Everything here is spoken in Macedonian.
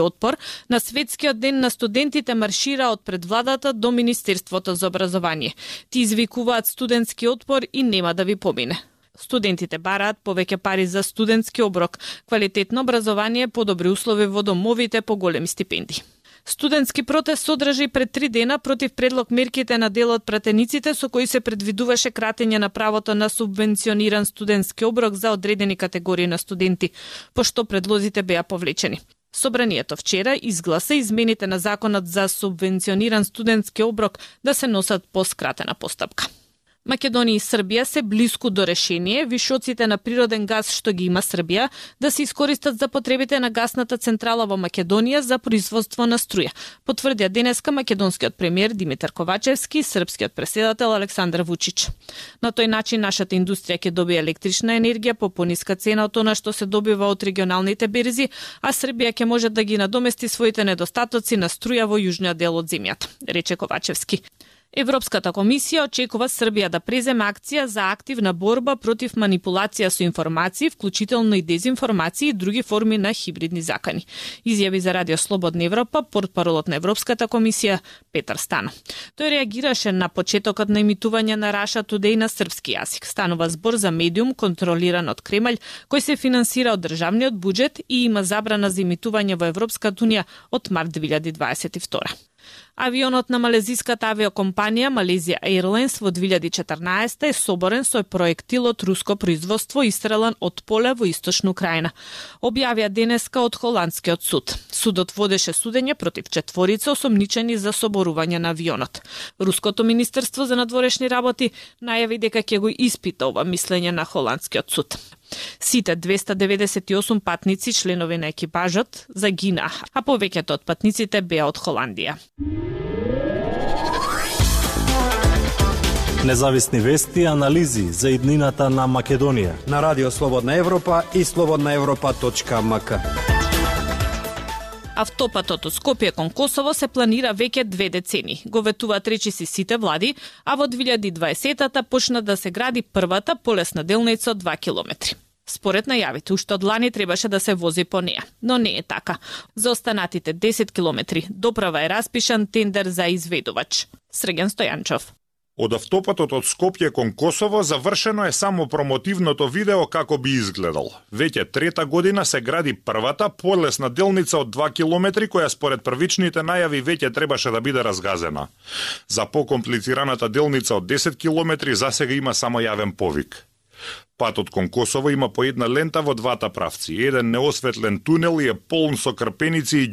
Отпор на Светскиот ден на студентите маршира од пред владата до Министерството за образование. Ти извикуваат студентски отпор и нема да ви помине. Студентите бараат повеќе пари за студентски оброк, квалитетно образование, подобри услови во домовите, поголеми стипендии. Студентски протест содржи пред 3 дена против предлог мерките на дел од пратениците со кои се предвидуваше кратење на правото на субвенциониран студентски оброк за одредени категории на студенти, пошто предлозите беа повлечени. Собранието вчера изгласа измените на законот за субвенциониран студентски оброк да се носат по скратена постапка. Македонија и Србија се блиску до решение вишоците на природен газ што ги има Србија да се искористат за потребите на гасната централа во Македонија за производство на струја, потврдија денеска македонскиот премиер Димитар Ковачевски и српскиот претседател Александар Вучич. На тој начин нашата индустрија ќе добие електрична енергија по пониска цена од она што се добива од регионалните берзи, а Србија ќе може да ги надомести своите недостатоци на струја во јужниот дел од земјата, рече Ковачевски. Европската комисија очекува Србија да преземе акција за активна борба против манипулација со информации, вклучително и дезинформации и други форми на хибридни закани. Изјави за Радио Слободна Европа портпаролот на Европската комисија Петар Стано. Тој реагираше на почетокот на емитување на Russia Today на српски јазик. Станува збор за медиум контролиран од Кремљ, кој се финансира од државниот буџет и има забрана за емитување во Европската унија од март 2022. Авионот на малезиската авиокомпанија Malaysia Airlines во 2014 е соборен со проектил од руско производство истрелан од поле во источна Украина. Објавија денеска од холандскиот суд. Судот водеше судење против 4 осомничени за соборување на авионот. Руското министерство за надворешни работи најави дека ќе го испита ова мислење на холандскиот суд. Сите 298 патници, членови на екипажот, загинаа, а повеќето од патниците беа од Холандија. Независни вести и анализи за иднината на Македонија на Радио Слободна Европа и slobodnaevropa.mk. Автопатот од Скопје кон Косово се планира веќе 2 децени. Го ветуваат речиси сите влади, а во 2020-та почна да се гради првата полесна делница од 2 километри. Според најавите, уште од лани требаше да се вози по неа, но не е така. За останатите 10 километри доправа е распишан тендер за изведувач. Срген Стојанчов. Од автопатот од Скопје кон Косово завршено е само промотивното видео како би изгледал. Веќе 3-та година се гради првата полесна делница од 2 километри која според првичните најави веќе требаше да биде разгазена. За покомплицираната делница од 10 километри засега има само јавен повик. Патот кон Косово има по една лента во двата правци. Еден неосветлен тунел и е полн со крпеници и